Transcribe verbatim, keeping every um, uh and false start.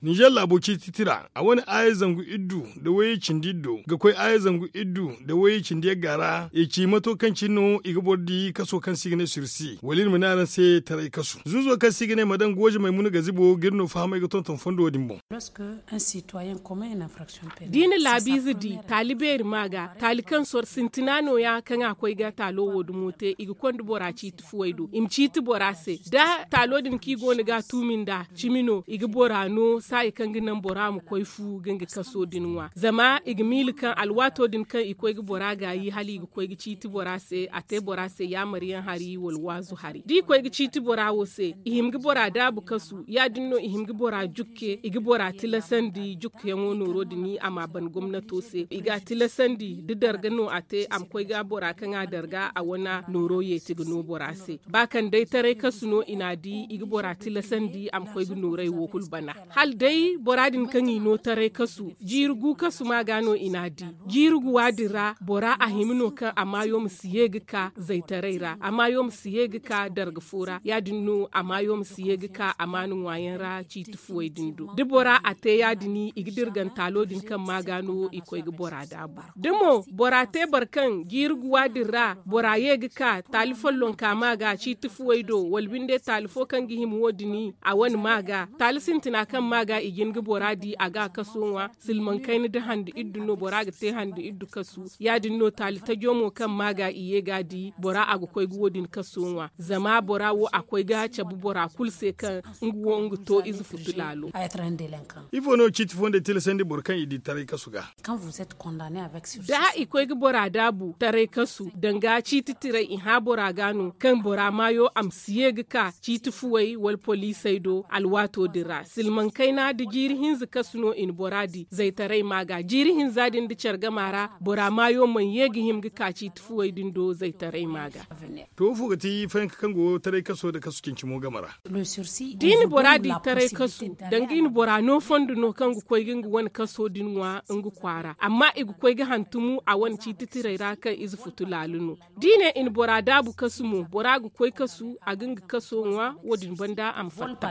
Ninzeer laabo ciiti tira a wane aaya zangu iddu nda wayey cindi iddo ga koy aaya zangu iddu nda wayey cindi yagga ra i ci mato kaŋ cine no i ga boro di kaso kaŋ se i ga ne sursi wala iri ma ne araŋ se taray kasu zuuzo kaŋ se i ga ne madame gooze maymuna gazibo ga iri no fahamay ga tonton fondo din boŋ. Da i na laabiize di taali beeri ma ga taali kaŋ soro sintina nooya kaŋ a koy ga taalo wo dumo te i ga konda bora ciiti fuwey do i ma ciiti bora se da taalo din kaŋ i go no ga a tuumi nd'a cimi no i ga bora no saaya kaŋ ga naŋ bora ma koy fu ga nga kaso din ŋwa zama i ga miila kaŋ alwaato din kaŋ i koy ga bora gaayi hala i ga koy ga ciiti bora se a te bora se yaamar yaŋ hari wala waazu hari da i koy ga ciiti bora wo se i hima ga bora daabu kasu ya- din no i hima ga bora jukke i ga bora tilasandi jukkeyaŋo nooro din a ma a ban gomnato se i ga a tilasandi da darga no a te a ma koy ga bora kaŋ a darga a wane nooro yeeti ga no bora se ba kaŋ day taray kasu no i n'a di i ga bora tilasandi a ma koy ga noorey wo kulu bana hala day bora din kaŋ i no taray kasu jiiri gu kasu ma ga no i n'a di jiiri guwa din ra bora a hima no kaŋ a maayo ma si ye ga ka zaytaray ra a maayo ma si ye ga ka darga fo ra ya- din no a maayo ma si ye ga ka amaana ŋwaayaŋ ra ciiti fuwey din do da bora a te ya- din i ga dirgantaalo din kaŋ ma ga no i koy ga bora daabu da mo bora te boro kaŋ jiiri guwa din ra bora ye ga ka taali follonka ma ga ciiti fuwey do wala binde taali fo kaŋ ga hima wo- din a wane ma ga taali sintina kaŋ ma ga i jin ga bora di a ga a kaso ŋwa silmaŋ kayna da hande iddu no bora ga te hande iddu kasu ya- din no taali tajo mo kaŋ ma ga i ye ga a di bora a ga koy ga wo- din kaso ŋwa zama bora wo a koy ga cabe bora kulu se kaŋ nga wo nga to ize futu laalo. Ifo no ciiti fondey tilasandi boro kaŋ i di taray kasu ga? Da i koy ga bora daabu taray kasu danga ciiti tiray i hã bora ga no kaŋ bora maayo a ma si ye ga ka ciiti fuwey wala poliisey do alwaato din ra silmaŋ kayna da jiiri hinza kasu no i na bora di zaytaray ma ga jiiri hinza din da care gama ra bora maayo mana ye ga hima ga ka ciiti fuwey din do zaytaray ma ga. To ifo ga ti fayanka kaŋ go taray kaso nda kasu cincimo game ra? Da i na bora di taray kasu danga i na bora no fondo no kaŋ ga koy ga nga wane kaso din ŋwa nga kwaara amma i ga koy ga hantumu a wane ciiti tiray ra kaŋ ize futu laalu no da i ne i na bora daabu kasu mo bora ga koy kasu a ga nga kaso ŋwa wo- din banda a ma fatta.